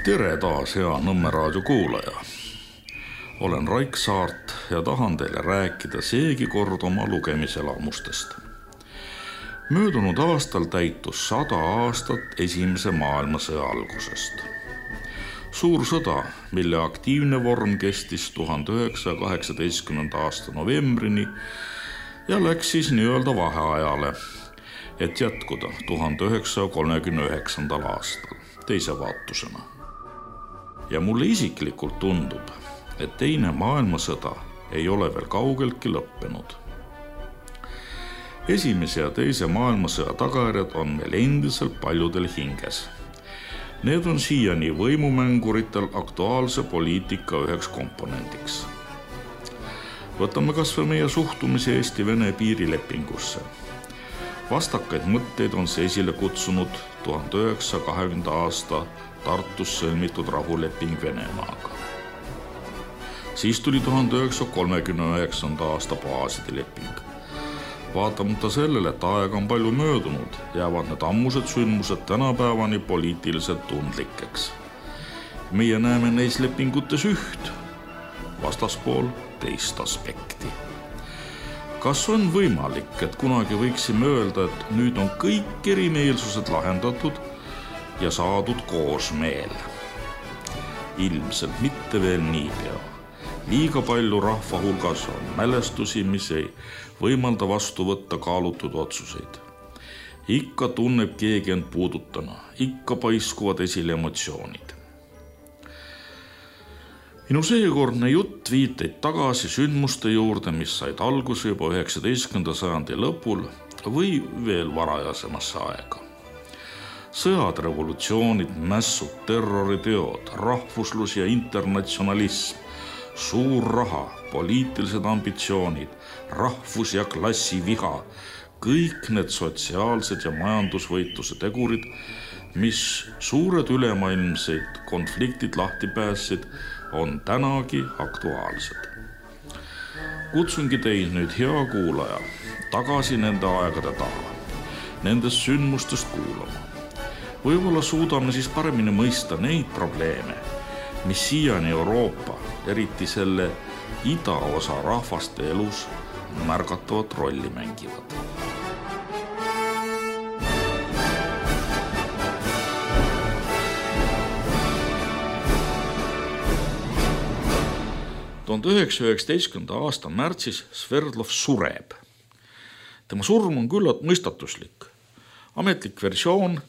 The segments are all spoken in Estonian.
Tere taas, hea Nõmme raadio kuulaja. Olen Raik Saart ja tahan teile rääkida seegi kord oma lugemiselamustest. Möödunud aastal täitus 100 aastat Esimese maailmasõja algusest. Suur sõda, mille aktiivne vorm kestis 1918. aasta novembrini ja läks siis nii-öelda vaheajale, et jätkuda 1939. aastal teise vaatusena. Ja mulle isiklikult tundub, et teine maailmasõda ei ole veel kaugeltki lõppenud. Esimese ja teise maailmasõja tagajärjed on meil endiselt paljudel hinges. Need on siiani võimumänguritel aktuaalse poliitika üheks komponendiks. Võtame kas või meie suhtumise Eesti-Vene piirilepingusse. Vastakaid mõtteid on see esile kutsunud 1920. aasta Tartus sõlmitud rahuleping Venemaaga. Siis tuli 1939. aasta baaside leping. Vaatamata sellele, et aega on palju möödunud, jäävad need ammused sündmused tänapäevani poliitiliselt tundlikeks. Meie näeme neis lepingutes üht, vastaspool teist aspekti. Kas on võimalik, et kunagi võiksime öelda, et nüüd on kõik erimeelsused lahendatud ja saadud koosmeel? Ilmselt mitte veel niipea. Liiga palju rahva hulgas on mälestusi, mis ei võimalda vastu võtta kaalutud otsuseid. Ikka tunneb keegi end puudutana, ikka paiskuvad esile emotsioonid. Minu seekordne jutt viiteid tagasi sündmuste juurde, mis said alguse juba 19. sajandi lõpul või veel varajasemasse aega. Sõjad, revolutsioonid, mässud, terroriteod, rahvuslus ja internatsionalism, suur raha, poliitilised ambitsioonid, rahvus- ja klassiviha, kõik need sotsiaalsed ja majandusvõitluse tegurid, mis suured ülemaailmseid konfliktid lahti päässid, on tänagi aktuaalsed. Kutsungi teid nüüd, hea kuulaja, tagasi nende aegade taha, nendest sündmustest kuulama. Võib-olla suudame siis paremini mõista neid probleeme, mis siiani Euroopa, eriti selle idaosa rahvaste elus märgatavat rolli mängivad. Tuhande 1919. aasta märtsis Sverdlov sureb. Tema surm on küllalt mõistatuslik. Ametlik versioon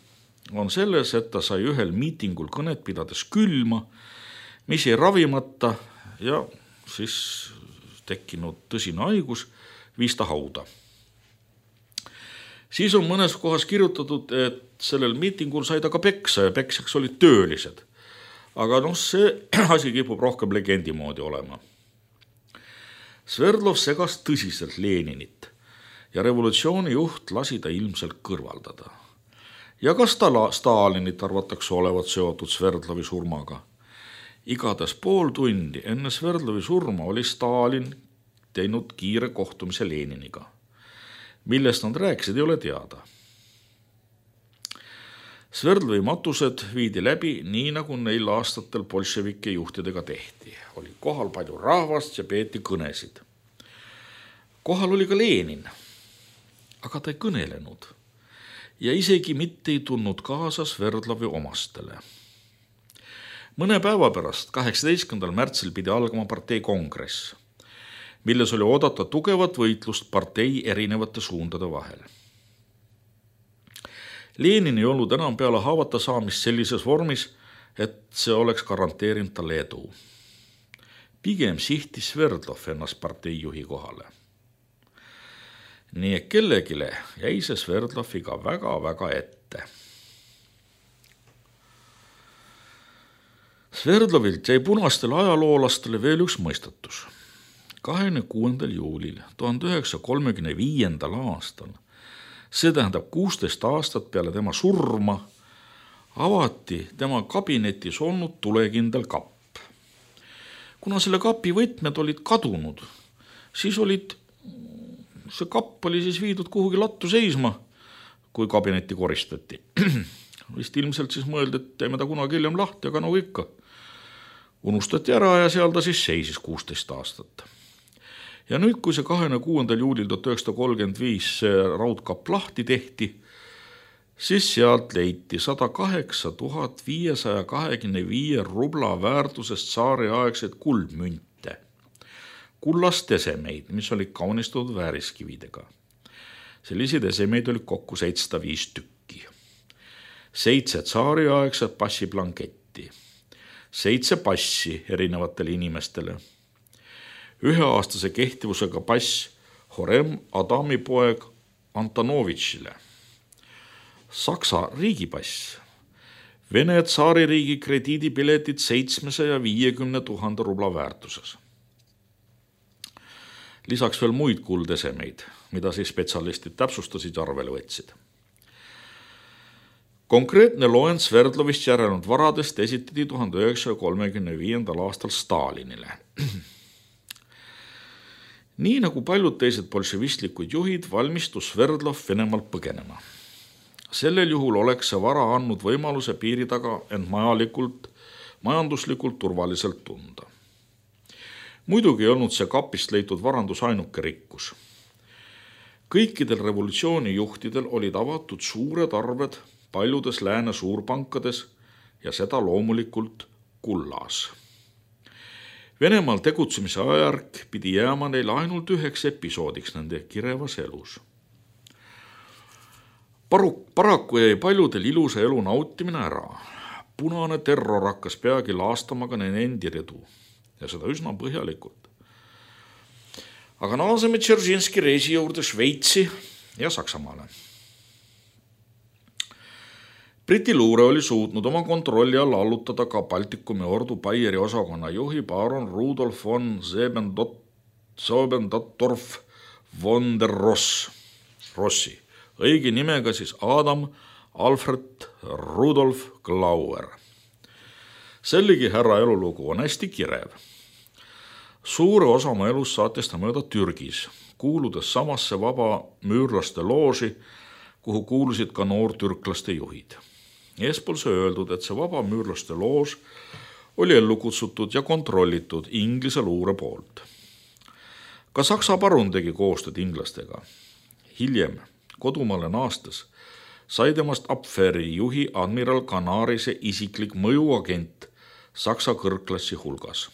on selles, et ta sai ühel miitingul kõnet pidades külma, mis jäi ravimata ja siis tekkinud tõsine haigus viis ta hauda. Siis on mõnes kohas kirjutatud, et sellel miitingul sai ta ka peksa ja peksjaks olid töölised. Aga see asi kipub rohkem legendi moodi olema. Sverdlov segas tõsiselt Leninit ja revolutsiooni juht lasi ta ilmselt kõrvaldada. Ja kas Stalinit arvatakse olevat seotud Sverdlovi surmaga? Igatahes pool tundi enne Sverdlovi surma oli Stalin teinud kiire kohtumise Leniniga. Millest nad rääkisid, ei ole teada. Sverdlovi matused viidi läbi nii, nagu neil aastatel bolševike juhtidega tehti. Oli kohal palju rahvast ja peeti kõnesid. Kohal oli ka Lenin, aga ta ei kõnelenud ja isegi mitte ei tulnud kaasa Sverdlovi omastele. Mõne päeva pärast, 18. märtsil pidi algama partei kongress, milles oli oodata tugevat võitlust partei erinevate suundade vahel. Lenin ei olnud enam peale haavata saamist sellises vormis, et see oleks garanteerinud talle edu. Pigem sihtis Sverdlov ennast parteijuhi kohale. Nii et kellegile jäi see Sverdloviga väga-väga ette. Sverdlovilt jäi punastele ajaloolastele veel üks mõistatus. 26. juulil 1935. aastal, see tähendab 16 aastat peale tema surma, avati tema kabinetis olnud tulekindel kapp. Kuna selle kapi võtmed olid kadunud, siis see kapp oli siis viidud kuhugi lattu seisma, kui kabinetti koristati. vist ilmselt siis mõeldi, et teeme ta kunagi hiljem lahti, aga nagu ikka. Unustati ära ja seal ta siis seisis 16 aastat. Ja nüüd, kui see 26. juulil 1935 see raudkapp lahti tehti, siis sealt leiti 108 525 rubla väärtusest tsaariaegseid kuldmünte, kullast esemeid, mis olid kaunistatud vääriskividega. Selliseid esemeid oli kokku 705 tükki. 7 tsaariaegset passiblanketti, 7 passi erinevatele inimestele, 1-aastase kehtivusega pass Horem Adami poeg Antonovitšile, Saksa riigipass, Vene tsaaririigi krediidipiletid 750 000 rubla väärtuses. Lisaks veel muid kuldesemeid, mida siis spetsialistid täpsustasid ja arvele võtsid. Konkreetne loend Sverdlovist järelnud varadest esitati 1935. aastal Stalinile. Nii nagu paljud teised bolševistlikud juhid valmistus Sverdlov Venemaalt põgenema. Sellel juhul oleks see vara andnud võimaluse piiri taga end majanduslikult turvaliselt tunda. Muidugi ei olnud see kapist leitud varandus ainuke rikkus. Kõikidel revolutsioonijuhtidel olid avatud suured arved paljudes lääne suurpankades ja seda loomulikult kullas. Venemaal tegutsemise ajärk pidi jääma neil ainult üheks episoodiks nende kirevas elus. Paraku jäi paljudel ilusa elu nautimine ära. Punane terror hakkas peagi laastama ka nende endi ridu ja seda üsna põhjalikult. Aga naaseme Dzeržinski reisi juurde Šveitsi ja Saksamaale. Briti luure oli suutnud oma kontrolli alla allutada ka Baltikumi ordu Baieri osakonna juhi baron Rudolf von Siebendorf von der Rossi, õige nimega siis Adam Alfred Rudolf Glauer. Sellegi härra elulugu on hästi kirev. Suure osa oma elus saatis ta mööda Türgis, kuuludes samasse vaba müürlaste looži, kuhu kuulusid ka noortürklaste juhid. Eespool see öeldud, et see vaba müürlaste loož oli ellu kutsutud ja kontrollitud Inglise luure poolt. Ka Saksa parun tegi koostööd inglastega. Hiljem kodumaale naastes sai temast Abwehri juhi admiral Canarise isiklik mõjuagent Saksa kõrgklassi hulgas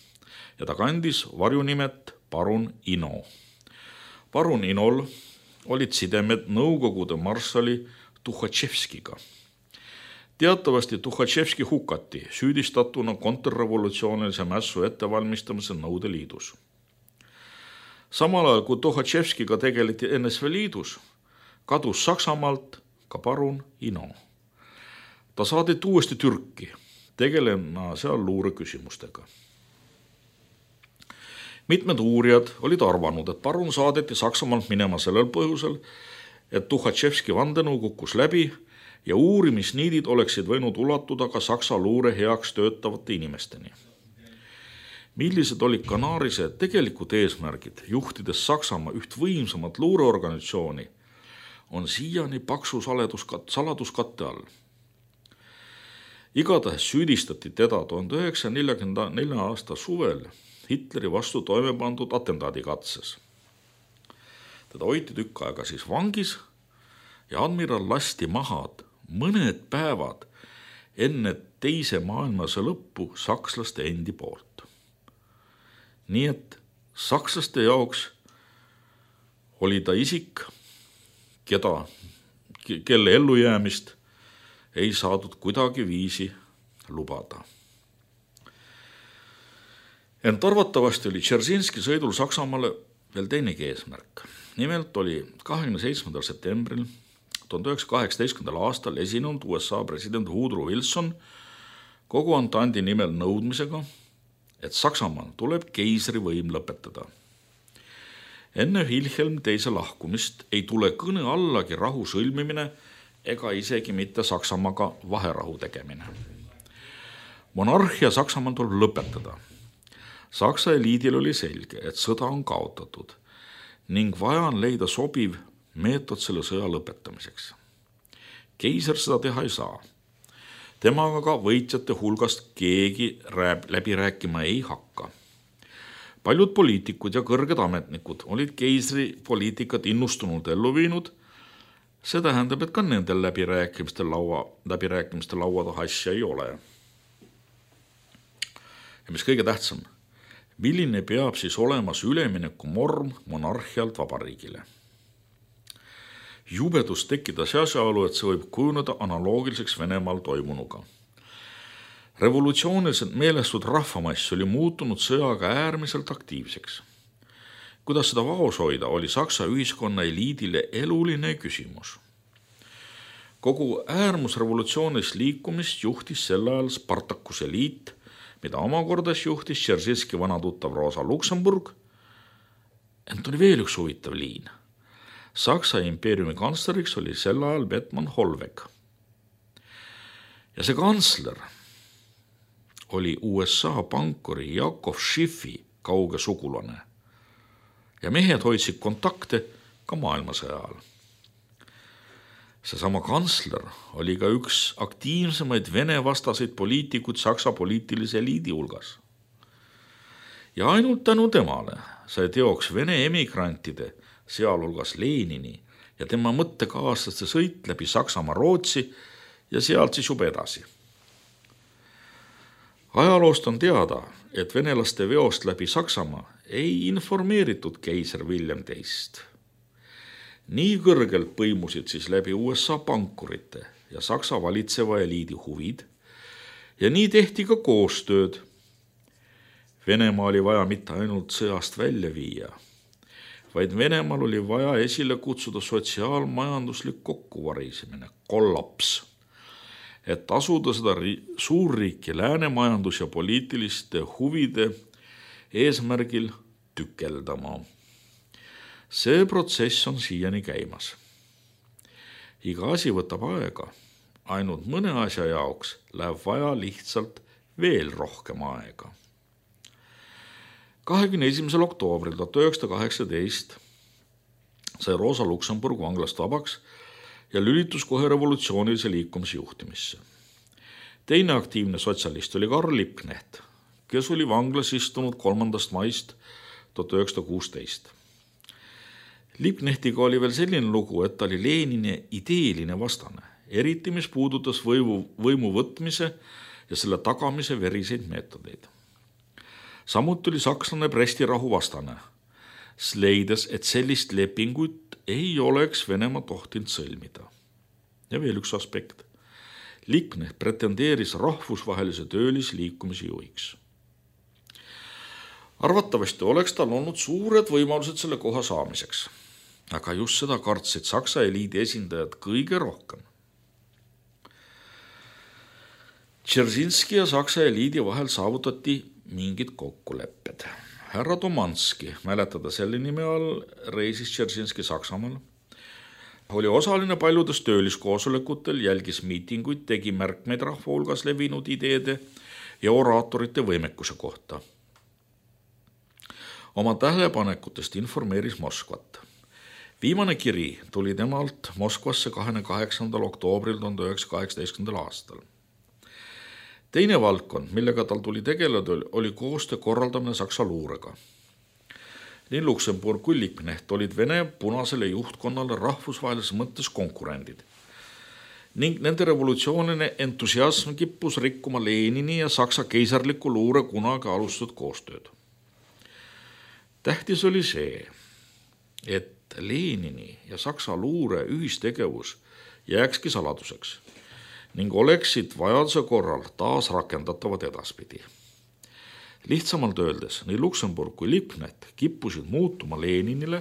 ja ta kandis varjunimet parun Ino. Parun Inol olid sidemed Nõukogude marssali Tuhhatševskiga. Teatavasti Tuhhatševski hukati süüdistatuna kontrrevolutsioonilise mässu ettevalmistamise Nõudeliidus. Samal ajal, kui Tuhhatševskiga tegeleti NSV Liidus, kadus Saksamaalt ka parun Ino. Ta saadeti uuesti Türki, tegelema seal luure küsimustega. Mitmed uurijad olid arvanud, et parun saadeti Saksamaalt minema sellel põhjusel, et Tuhhatševski vandenõu kukkus läbi ja uurimisniidid oleksid võinud ulatuda ka Saksa luure heaks töötavate inimesteni. Millised olid Canarise tegelikud eesmärgid, juhtides Saksamaa üht võimsamat luureorganisatsiooni, on siiani paksu saladuskatte all. Igatahes süüdistati teda 1944. aasta suvel Hitleri vastu toime pandud atentaadikatses. Teda hoiti tükk aega siis vangis ja admiral lasti maha mõned päevad enne teise maailmasõja lõppu sakslaste endi poolt. Nii et sakslaste jaoks oli ta isik, kelle ellujäämist ei saadud kuidagi viisi lubada. Ent arvatavasti oli Dzeržinski sõidul Saksamaale veel teinegi eesmärk. Nimelt oli 27. septembril 1918. aastal esinenud USA president Woodrow Wilson kogu Antandi nimel nõudmisega, et Saksamaal tuleb keisrivõim lõpetada. Enne Wilhelm teise lahkumist ei tule kõne allagi rahu sõlmimine ega isegi mitte Saksamaaga vaherahu tegemine. Monarhia Saksamaal tuleb lõpetada. Saksa eliidil oli selge, et sõda on kaotatud ning vaja on leida sobiv meetod selle sõja lõpetamiseks. Keiser seda teha ei saa. Temaga ka võitjate hulgast keegi läbi rääkima ei hakka. Paljud poliitikud ja kõrged ametnikud olid keisri poliitikat innustunult ellu viinud. See tähendab, et ka nendel läbirääkimiste laua taha asja ei ole. Ja mis kõige tähtsam, milline peab siis olemas ülemineku morm monarhialt vabariigile? Jubedus tekkidas asjaolu, et see võib kujuneda analoogiliseks Venemaal toimunuga. Revolutsiooniliselt meelestud rahvamass oli muutunud sõjaga äärmiselt aktiivseks. Kuidas seda vaos hoida, oli Saksa ühiskonna eliidile eluline küsimus. Kogu äärmusrevolutsioonilist liikumist juhtis sel ajal Spartakuse liit, mida omakordas juhtis Dzeržinski vanatuttav Rosa Luxemburg. Ent oli veel üks huvitav liin. Saksa impeeriumi kantsleriks oli sel ajal Bethmann Hollweg. Ja see kantsler oli USA pankuri Jakov Schiffi kauge sugulane. Ja mehed hoidsid kontakte ka maailmasõja ajal. Seesama kantsler oli ka üks aktiivsemaid Vene-vastaseid poliitikuid Saksa poliitilise eliidi hulgas. Ja ainult tänu temale sai teoks Vene emigrantide, sealhulgas Lenini ja tema mõttekaaslaste sõit läbi Saksamaa Rootsi ja sealt siis juba edasi. Ajaloost on teada, et venelaste veost läbi Saksamaa ei informeeritud keiser William teist. Nii kõrgelt põimusid siis läbi USA pankurite ja Saksa valitseva eliidi huvid ja nii tehti ka koostööd. Venemaa oli vaja mitte ainult sõjast välja viia, vaid Venemaal oli vaja esile kutsuda sotsiaalmajanduslik kokkuvarisemine, kollaps, et asuda seda suurriiki lääne majandus- ja poliitiliste huvide eesmärgil tükeldama. See protsess on siiani käimas. Iga asi võtab aega, ainult mõne asja jaoks läheb vaja lihtsalt veel rohkem aega. 21. oktoobril 1918 sai Rosa Luxemburg vanglast vabaks ja lülitus kohe revolutsioonilise liikumise juhtimisse. Teine aktiivne sotsialist oli Karl Liebknecht, kes oli vanglas istunud 3. maist 1916. Liebknechtiga oli veel selline lugu, et ta oli Lenini ideeline vastane, eriti mis puudutas võimu võtmise ja selle tagamise veriseid meetodeid. Samuti oli sakslane Bresti rahu vastane, leides, et sellist lepingut ei oleks Venemaa tohtinud sõlmida. Ja veel üks aspekt. Liebknecht pretendeeris rahvusvahelise töölisliikumise juhiks. Arvatavasti oleks tal olnud suured võimalused selle koha saamiseks, aga just seda kartsid Saksa eliidi esindajad kõige rohkem. Dzeržinski ja Saksa eliidi vahel saavutati mingid kokkulepped. Härra Domanski, mäletada selle nime all, reisis Dzeržinski Saksamaal, oli osaline paljudes tööliskoosolekutel, jälgis miitinguid, tegi märkmeid rahva hulgas levinud ideede ja oraatorite võimekuse kohta. Oma tähelepanekutest informeeris Moskvat. Viimane kiri tuli temalt Moskvasse 28. oktoobril 1918. aastal. Teine valdkond, millega tal tuli tegeleda, oli koostöö korraldamine Saksa luurega. Nii Luxemburg kui Liebknecht olid Vene punasele juhtkonnale rahvusvahelises mõttes konkurendid. Ning nende revolutsiooniline entusiasm kippus rikkuma Lenini ja Saksa keisarliku luure kunagi alustatud koostööd. Tähtis oli see, et Lenini ja Saksa luure ühistegevus jääkski saladuseks ning oleksid vajaduse korral taas rakendatavad edaspidi. Lihtsamalt öeldes, nii Luxemburg kui Liebknecht kippusid muutuma Leninile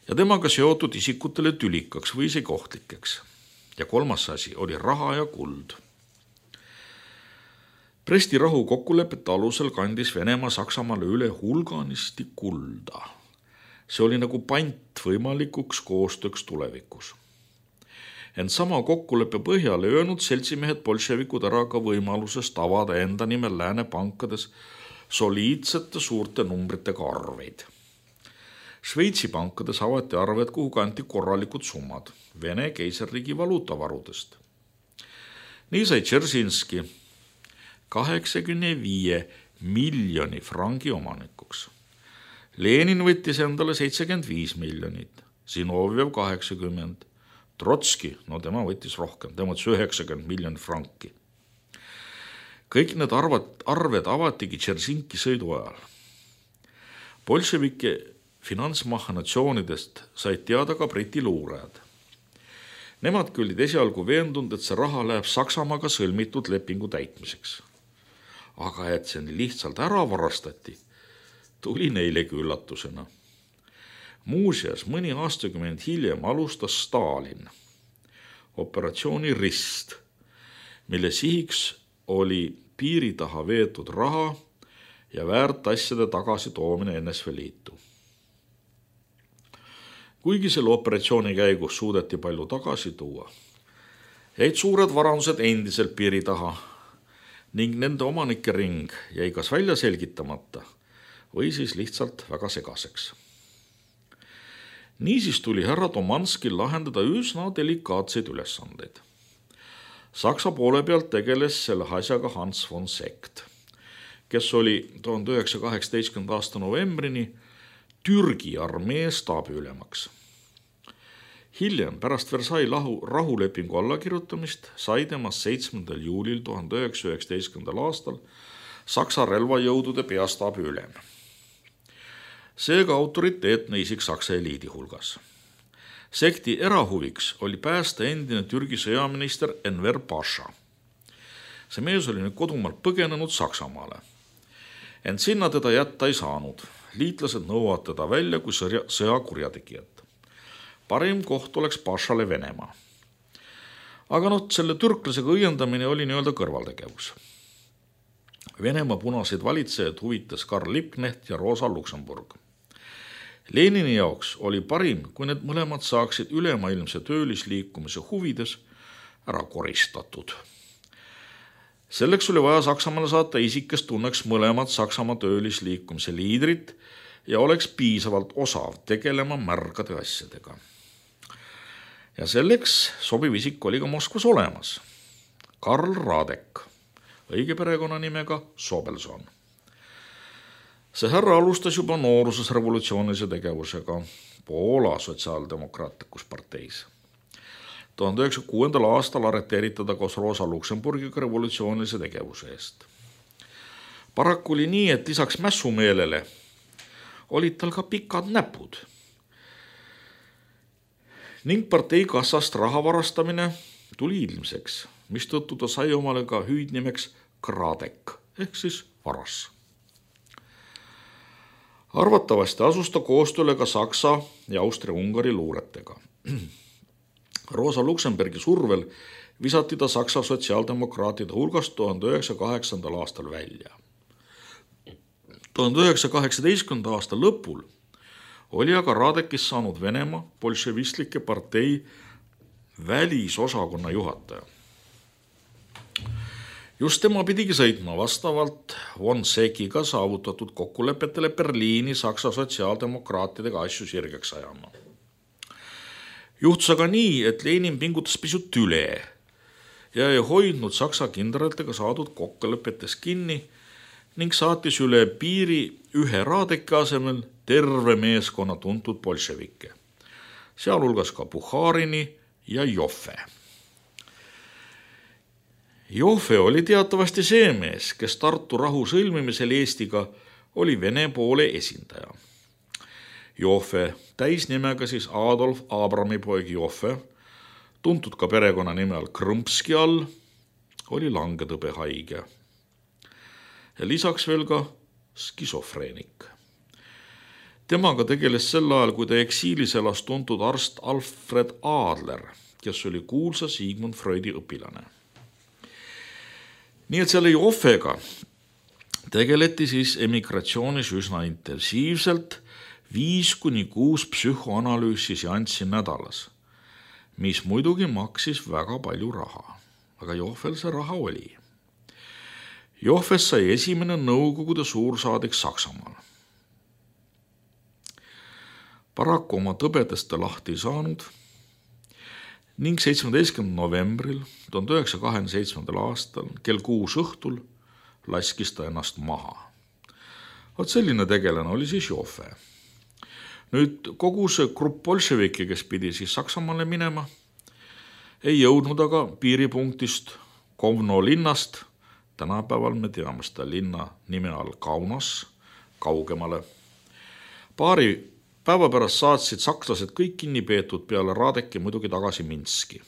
ja temaga seotud isikutele tülikaks või isegi ohtlikeks. Ja kolmas asi oli raha ja kuld. Bresti rahu kokkulepete alusel kandis Venemaa Saksamaale üle hulganisti kulda. See oli nagu pant võimalikuks koostööks tulevikus. Ent sama kokkuleppe põhjal ei öelnud seltsimehed bolševikud ära ka võimalusest avada enda nimel lääne pankades soliidsete suurte numbritega arveid. Šveitsi pankades avati arved, kuhu kanti korralikud summad Vene keisarriigi valuutavarudest. Nii sai Dzeržinski 85 miljoni frangi omanikuks. Lenin võttis endale 75 miljonit, Zinovjev 80, Trotski, no tema võttis rohkem, tema võttis 90 miljonit franki. Kõik need arved avatigi Dzeržinski sõidu ajal. Bolševike finantsmahhinatsioonidest said teada ka Briti luurajad. Nemadki olid esialgu veendunud, et see raha läheb Saksamaaga sõlmitud lepingu täitmiseks. Aga et see lihtsalt ära varastati, tuli neilegi üllatusena. Muuseas, mõni aastakümmend hiljem alustas Stalin operatsiooni Rist, mille sihiks oli piiri taha veetud raha ja väärtasjade tagasi toomine NSV Liitu. Kuigi selle operatsiooni käigus suudeti palju tagasi tuua, jäid suured varandused endiselt piiri taha ning nende omanike ring jäi kas välja selgitamata või siis lihtsalt väga segaseks. Niisiis tuli härra Tomanskil lahendada üsna delikaatseid ülesandeid. Saksa poole pealt tegeles selle asjaga Hans von Sekt, kes oli 1918. aasta novembrini Türgi armee staabiülemaks. Hiljem pärast Versailles rahulepingu allakirjutamist sai temast 7. juulil 1919. aastal Saksa relvajõudude peastaabi ülem. Seega autoriteetne isik Saksa eliidi hulgas. Sekti erahuviks oli päästa endine Türgi sõjaminister Enver Paša. See mees oli nüüd kodumaalt põgenenud Saksamaale. Ent sinna teda jätta ei saanud. Liitlased nõuavad teda välja kui sõjakurjategijat. Parim koht oleks Pašale Venemaa. Aga selle türklasega õiendamine oli nii-öelda kõrvaltegevus. Venemaa punaseid valitsejaid huvitas Karl Liebknecht ja Rosa Luxemburg. Lenini jaoks oli parim, kui need mõlemad saaksid ülemaailmse töölisliikumise huvides ära koristatud. Selleks oli vaja Saksamaale saata isik, kes tunneks mõlemad Saksamaa töölisliikumise liidrit ja oleks piisavalt osav tegelema märgade asjadega. Ja selleks sobiv isik oli ka Moskvas olemas. Karl Radek, õige perekonnanimega Sobelson. See härra alustas juba nooruses revolutsioonilise tegevusega Poola sotsiaaldemokraatlikus parteis. 1906. aastal arreteeritada koos Rosa Luxemburgiga revolutsioonilise tegevuse eest. Paraku oli nii, et lisaks mässumeelele olid tal ka pikad näpud. Ning partei kassast raha varastamine tuli ilmseks, mistõttu ta sai omale ka hüüdnimeks Kradek ehk siis varas. Arvatavasti asus ta koostööle ka Saksa ja Austria-Ungari luuretega. Rosa Luxemburgi survel visati ta Saksa sotsiaaldemokraatide hulgast 1908. aastal välja. 1918. aasta lõpul oli aga Radekist saanud Venemaa bolševistlike partei välisosakonna juhataja. Just tema pidigi sõitma vastavalt von Sekiga saavutatud kokkulepetele Berliini Saksa sotsiaaldemokraatidega asju sirgeks ajama. Juhtus aga nii, et Lenin pingutas pisut üle ja ei hoidnud Saksa kindralitega saadud kokkulepetes kinni ning saatis üle piiri ühe Radeki asemel terve meeskonna tuntud bolševikke, sealhulgas ka Bukharini ja Joffe. Joffe oli teatavasti see mees, kes Tartu rahu sõlmimisel Eestiga oli Vene poole esindaja. Joffe, täisnimega siis Adolf Abrami poeg Joffe, tuntud ka perekonna nime all Krõmpski all, oli langetõbehaige. Ja lisaks veel ka skisofreenik. Temaga tegeles sel ajal, kui ta eksiilis elas tuntud arst Alfred Adler, kes oli kuulsa Sigmund Freudi õpilane. Nii et selle Joffega tegeleti siis emigratsioonis üsna intensiivselt 5-6 psühhoanalüüsi seanssi nädalas, mis muidugi maksis väga palju raha, aga Joffel see raha oli. Joffest sai esimene Nõukogude suursaadik Saksamaal. Paraku oma tõbedest ta lahti ei saanud ning 17. novembril 1927. aastal kell 6 õhtul laskis ta ennast maha. Vot selline tegelane oli siis Joffe. Nüüd kogu see grupp bolševiki, kes pidi siis Saksamaale minema, ei jõudnud aga piiripunktist Kovno linnast, tänapäeval me teame seda linna nime all Kaunas, kaugemale. Paari päeva pärast saatsid sakslased kõik kinni peetud peale Radeki muidugi tagasi Minski.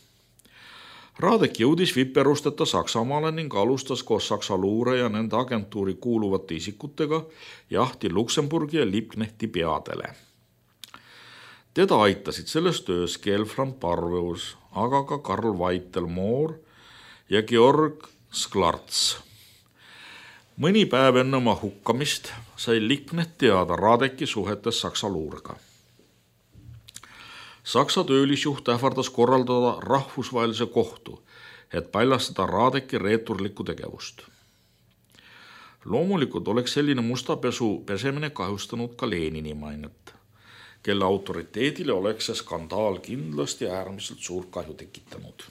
Radek jõudis viperusteta Saksamaale ning alustas koos Saksa luure ja nende agentuuri kuuluvate isikutega jahti Luksemburgi ja Liebknechti peadele. Teda aitasid selles töös Gelfram Parveus, aga ka Karl Weitel-Moor ja Georg Sklarts. Mõni päev enne oma hukkamist sai Liebknecht teada Radeki suhetes Saksa luurega. Saksa töölisjuht ähvardas korraldada rahvusvahelise kohtu, et paljastada Radeki reeturlikku tegevust. Loomulikult oleks selline mustapesu pesemine kahjustanud ka Lenini mainet, kelle autoriteedile oleks see skandaal kindlasti äärmiselt suurt kahju tekitanud.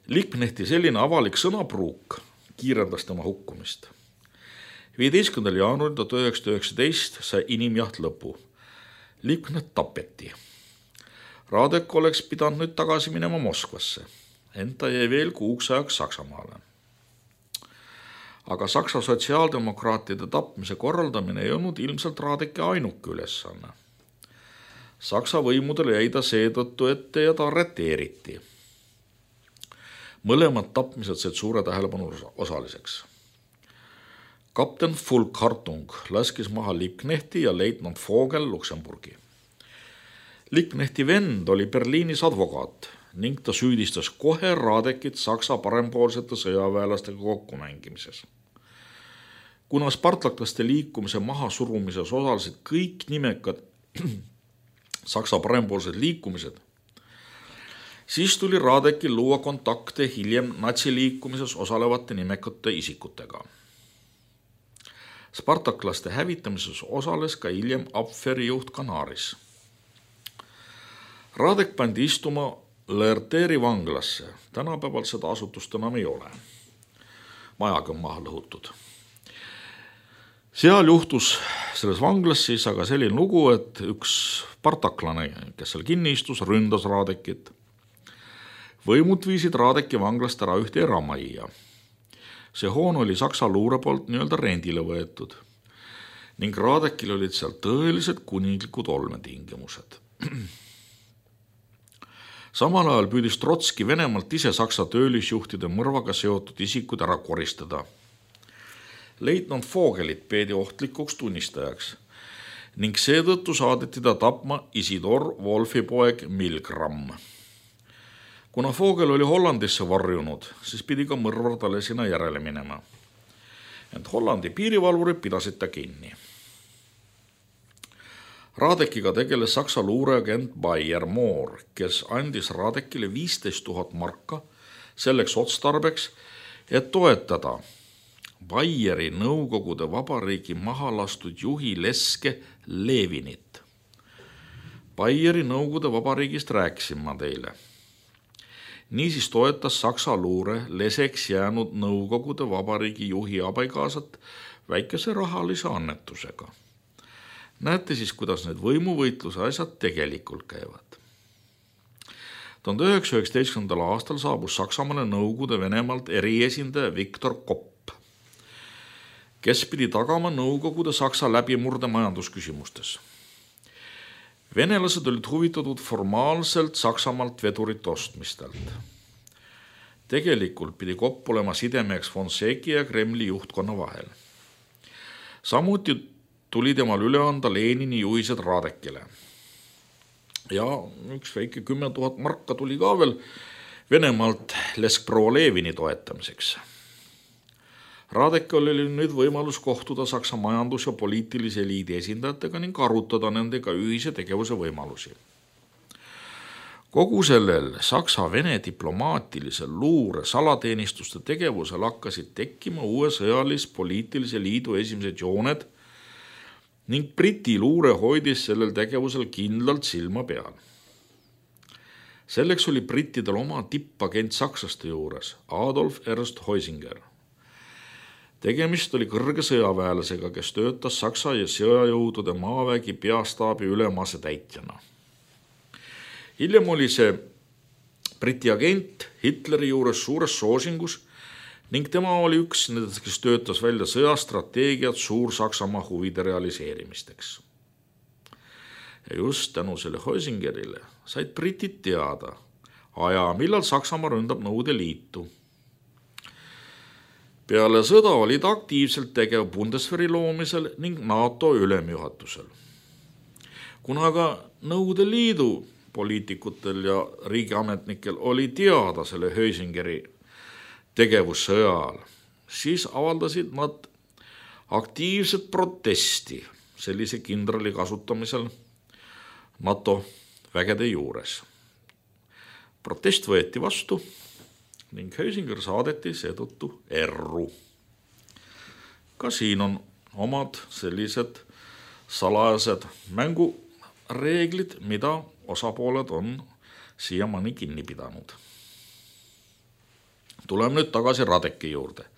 Liebknechti selline avalik sõnapruuk kiirendas tema hukkumist. 15. jaanuaril 1919 sai inimjaht lõpu. Liebknecht tapeti. Radek oleks pidanud nüüd tagasi minema Moskvasse, ent ta jäi veel kuuks ajaks Saksamaale. Aga Saksa sotsiaaldemokraatide tapmise korraldamine ei olnud ilmselt Radeki ainuke ülesanne. Saksa võimudele jäi ta seetõttu ette ja ta arreteeriti. Mõlemad tapmised said suure tähelepanu osaliseks. Kapten Fulk-Hartung laskis maha Liebknechti ja leitnant Vogel Luksemburgi. Liebknechti vend oli Berliinis advokaat ning ta süüdistas kohe Radekit Saksa parempoolsete sõjaväelastega kokkumängimises. Kuna spartaklaste liikumise mahasurumises osalesid kõik nimekad Saksa parempoolsed liikumised, siis tuli Radekil luua kontakte hiljem natsiliikumises osalevate nimekate isikutega. Spartaklaste hävitamises osales ka hiljem Abwehri juht Kanaris. Radek pandi istuma Lerteri vanglasse, tänapäeval seda asutust enam ei ole. Majagi on maha lõhutud. Seal juhtus selles vanglas siis aga selline lugu, et üks spartaklane, kes seal kinni istus, ründas Radekit. Võimud viisid Radeki vanglast ära ühte eramajja. See hoon oli Saksa luure poolt nii-öelda rendile võetud ning Radekil olid seal tõelised kuninglikud olmetingimused. Samal ajal püüdis Trotski Venemaalt ise Saksa töölisjuhtide mõrvaga seotud isikud ära koristada. Leitnant Vogelit peedi ohtlikuks tunnistajaks ning seetõttu saadeti ta tapma Isidor Wolfi poeg Milgram. Kuna Vogel oli Hollandisse varjunud, siis pidi ka mõrvar talle sinna järele minema. Ent Hollandi piirivalvurid pidasid ta kinni. Radekiga tegeles Saksa luureagent Bayer Moor, kes andis Radekile 15 000 marka selleks otstarbeks, et toetada Bayeri Nõukogude Vabariigi mahalastud juhi Leske Levinit. Bayeri Nõukogude Vabariigist rääkisin ma teile. Niisiis toetas Saksa luure leseks jäänud Nõukogude Vabariigi juhi abikaasat väikese rahalise annetusega. Näete siis, kuidas need võimuvõitluse asjad tegelikult käivad. 1919. aastal saabus Saksamaale Nõukogude Venemaalt eriesindaja Viktor Kopp, kes pidi tagama Nõukogude Saksa läbimurde majandusküsimustes. Venelased olid huvitatud formaalselt Saksamaalt vedurite ostmistelt. Tegelikult pidi Kopp olema sidemeheks Fonseki ja Kremli juhtkonna vahel. Samuti tuli temal üle anda Lenini juhised Radekile. Ja üks väike 10 000 marka tuli ka veel Venemaalt Leskproua Levini toetamiseks. Radekil oli nüüd võimalus kohtuda Saksa majandus- ja poliitilise eliidi esindajatega ning arutada nendega ühise tegevuse võimalusi. Kogu sellel Saksa-Vene diplomaatilise luure salateenistuste tegevusel hakkasid tekkima uue sõjalis-poliitilise liidu esimesed jooned ning Briti luure hoidis sellel tegevusel kindlalt silma peal. Selleks oli brittidel oma tippagent sakslaste juures, Adolf Ernst Heusinger. Tegemist oli kõrge sõjaväelasega, kes töötas Saksa ja sõjajõudude maavägi peastaabi ülema asetäitjana. Hiljem oli see Briti agent Hitleri juures suures soosingus ning tema oli üks nendest, kes töötas välja sõjastrateegiat Suur-Saksamaa huvide realiseerimisteks. Ja just tänu selle Heusingerile said britid teada aja, millal Saksamaa ründab Nõukogude Liitu. Peale sõda oli ta aktiivselt tegev Bundeswehri loomisel ning NATO ülemjuhatusel. Kuna aga Nõukogude Liidu poliitikutel ja riigiametnikel oli teada selle Heusingeri tegevussõja ajal, siis avaldasid nad aktiivset protesti sellise kindrali kasutamisel NATO vägede juures. Protest võeti vastu ning Heusinger saadeti seetõttu erru. Ka siin on omad sellised salajased mängureeglid, mida osapooled on siiamaani kinni pidanud. Tuleme nüüd tagasi Radeki juurde,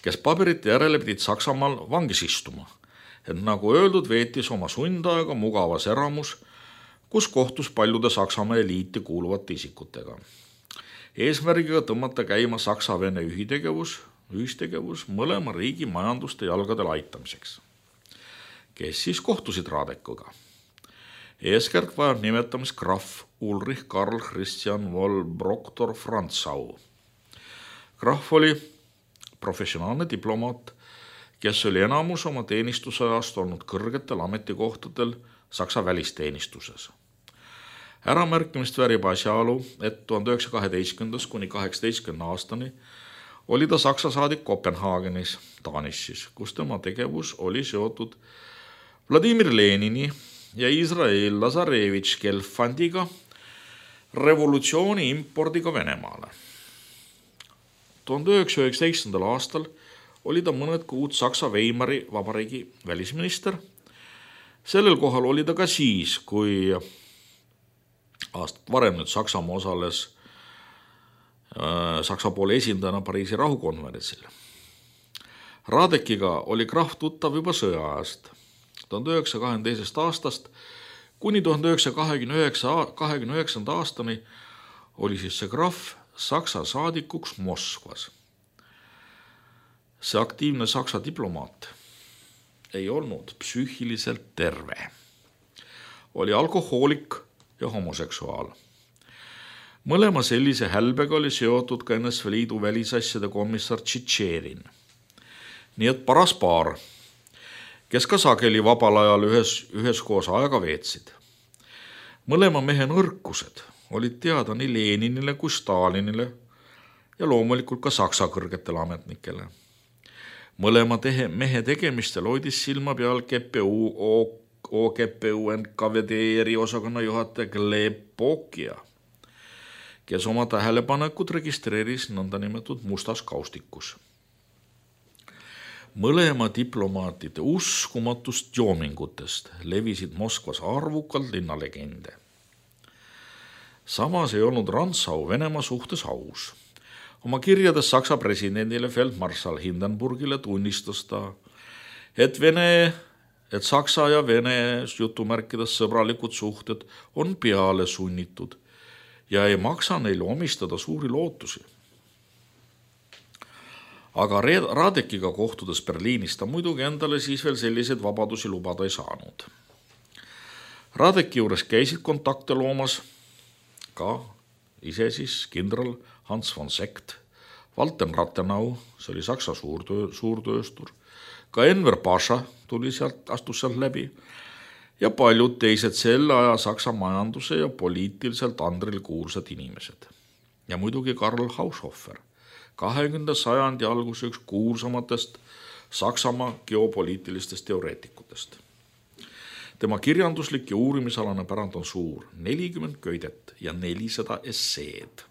kes paberite järele pidid Saksamaal vangis istuma, et nagu öeldud, veetis oma sundaega mugavas eramus, kus kohtus paljude Saksamaa eliiti kuuluvate isikutega. Eesmärgiga tõmmata käima Saksa-Vene ühistegevus mõlema riigi majanduste jalgadel aitamiseks. Kes siis kohtusid Radekuga? Eeskert vajab nimetamist Graf Ulrich Karl Christian von Brockdorff-Rantzau. Graf oli professionaalne diplomaat, kes oli enamus oma teenistusajast olnud kõrgetel ametikohtadel Saksa välisteenistuses. Äramärkimist väärib asjaolu, et 1912 kuni 18 aastani oli ta Saksa saadik Kopenhaagenis, Taanis, kus tema tegevus oli seotud Vladimir Lenini ja Israel Lazarevitš Gelfandiga revolutsiooni impordiga Venemaale. 1919. aastal oli ta mõned kuud Saksa Weimari vabariigi välisminister. Sellel kohal oli ta ka siis, kui aastat varem nüüd Saksamaa osales Saksa poole esindajana Pariisi rahukonverentsil. Radekiga oli Graf tuttav juba sõjaajast. 1922. aastast kuni 1929. aastani oli siis see Graf Saksa saadikuks Moskvas. See aktiivne Saksa diplomaat ei olnud psüühiliselt terve. Oli alkohoolik ja homoseksuaal. Mõlema sellise hälbega oli seotud ka NSV Liidu välisasjade komissar Tšitšerin. Nii et paras paar, kes ka sageli vabal ajal üheskoos aega veetsid. Mõlema mehe nõrkused olid teada nii Leninile kui Stalinile ja loomulikult ka Saksa kõrgetele ametnikele. Mõlema mehe tegemistel hoidis silma peal OGPU NKVD eriosakonna juhataja Gleb Pokia, kes oma tähelepanekut registreeris nõndanimetatud mustas kaustikus. Mõlema diplomaatide uskumatust joomingutest levisid Moskvas arvukalt linnalegende. Samas ei olnud Rantzau Venemaa suhtes aus. Oma kirjades Saksa presidendile feldmarssal Hindenburgile tunnistas ta, et Saksa ja Vene jutumärkides sõbralikud suhted on peale sunnitud ja ei maksa neile omistada suuri lootusi. Aga Radekiga kohtudes Berliinis ta muidugi endale siis veel selliseid vabadusi lubada ei saanud. Radeki juures käisid kontakte loomas ka ise siis kindral Hans von Sekt, Walter Rathenau, see oli Saksa suurtööstur, ka Enver Pasha astus sealt läbi ja paljud teised selle aja Saksa majanduse ja poliitiliselt andril kuulsad inimesed. Ja muidugi Karl Haushofer, 20. sajandi alguse üks kuulsamatest Saksamaa geopoliitilistest teoreetikutest. Tema kirjanduslik ja uurimisalane pärand on suur, 40 köidet ja 400 esseed.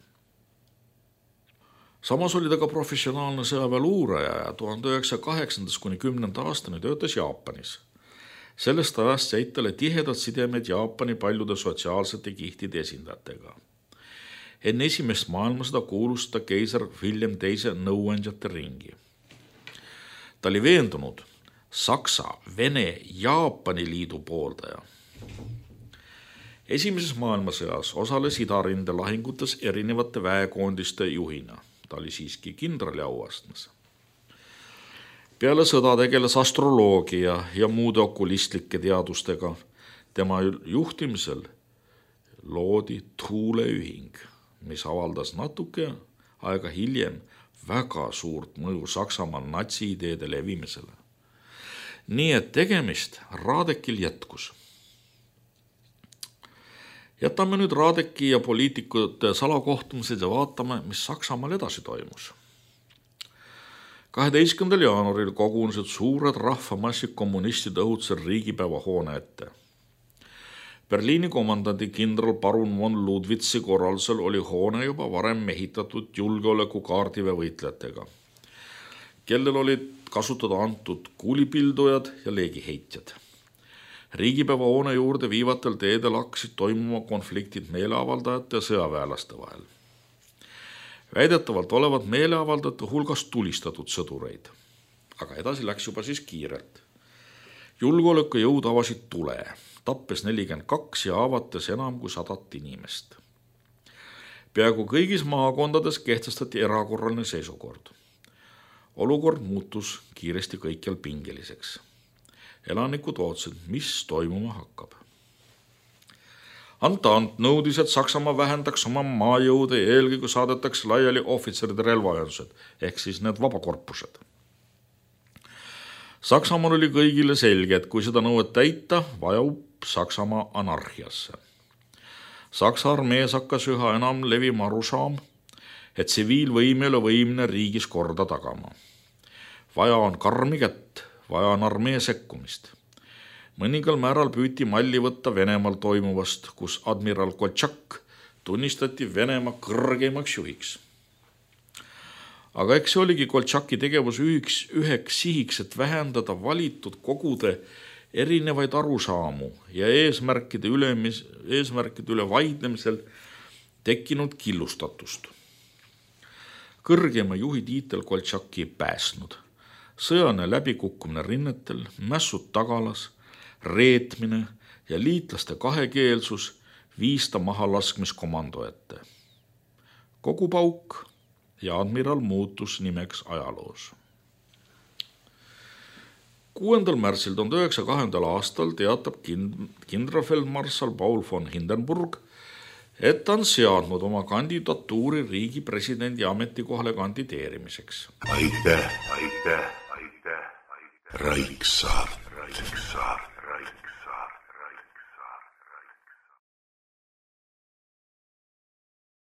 Samas oli ta ka professionaalne sõjaväeluuraja ja 1908. kuni 10. aastani töötas Jaapanis. Sellest ajast jäid talle tihedad sidemed Jaapani paljude sotsiaalsete kihtide esindajatega. Enne esimest maailmasõda kuulus ta keiser William II nõuandjate ringi. Ta oli veendunud Saksa, Vene, Jaapani liidu pooldaja. Esimeses maailmasõjas osales idarinde lahingutes erinevate väekoondiste juhina. Ta oli siiski kindrali auastmes. Peale sõda tegeles astroloogia ja muude okulistlike teadustega. Tema juhtimisel loodi tuuleühing, mis avaldas natuke aega hiljem väga suurt mõju Saksamaa natsiideede levimisele. Nii et tegemist Radekil jätkus. Jätame nüüd Radeki ja poliitikute salakohtumised ja vaatame, mis Saksamaal edasi toimus. 12. jaanuaril kogunesid suured rahvamassid kommunistide õhutusel riigipäeva hoone ette. Berliini komandandi kindral parun von Ludwitzi korraldusel oli hoone juba varem mehitatud julgeolekukaardiväe võitlejatega, kellel olid kasutada antud kuulipildujad ja leegiheitjad. Riigipäeva hoone juurde viivatel teedel hakkasid toimuma konfliktid meeleavaldajate ja sõjaväelaste vahel. Väidetavalt olevat meeleavaldajate hulgas tulistatud sõdureid, aga edasi läks juba siis kiirelt. Julgeolekujõud avasid tule, tappes 42 ja avates enam kui 100 inimest. Peaaegu kõigis maakondades kehtestati erakorraline seisukord. Olukord muutus kiiresti kõikjal pingeliseks. Elanikud ootsid, mis toimuma hakkab. Antant nõudis, et Saksamaa vähendaks oma maajõude ja eelkõige saadetaks laiali ohvitseride relvaühendused, ehk siis need vabakorpused. Saksamaal oli kõigile selge, et kui seda nõuet täita, vajub Saksamaa anarhiasse. Saksa armees hakkas üha enam levima arusaam, et tsiviilvõim ei ole võimeline riigis korda tagama. Vaja on karmi kätt, vaja on armee sekkumist. Mõningal määral püüti malli võtta Venemaal toimuvast, kus admiral Koltšak tunnistati Venemaa kõrgeimaks juhiks. Aga eks see oligi Koltšaki tegevus üheks sihiks, et vähendada valitud kogude erinevaid arusaamu ja eesmärkide üle vaidlemisel tekkinud killustatust. Kõrgema juhi tiitel Koltšaki ei pääsnud. Sõjane läbikukkumine rinnetel, mässud tagalas, reetmine ja liitlaste kahekeelsus viis ta maha laskmiskomando ette. Kogu pauk ja admiral muutus nimeks ajaloos. 6. märtsil 1902. aastal teatab kindralfeldmarssal Paul von Hindenburg, et ta on seadnud oma kandidatuuri riigi presidendi ametikohale kandideerimiseks. Aitäh. Raiksaart.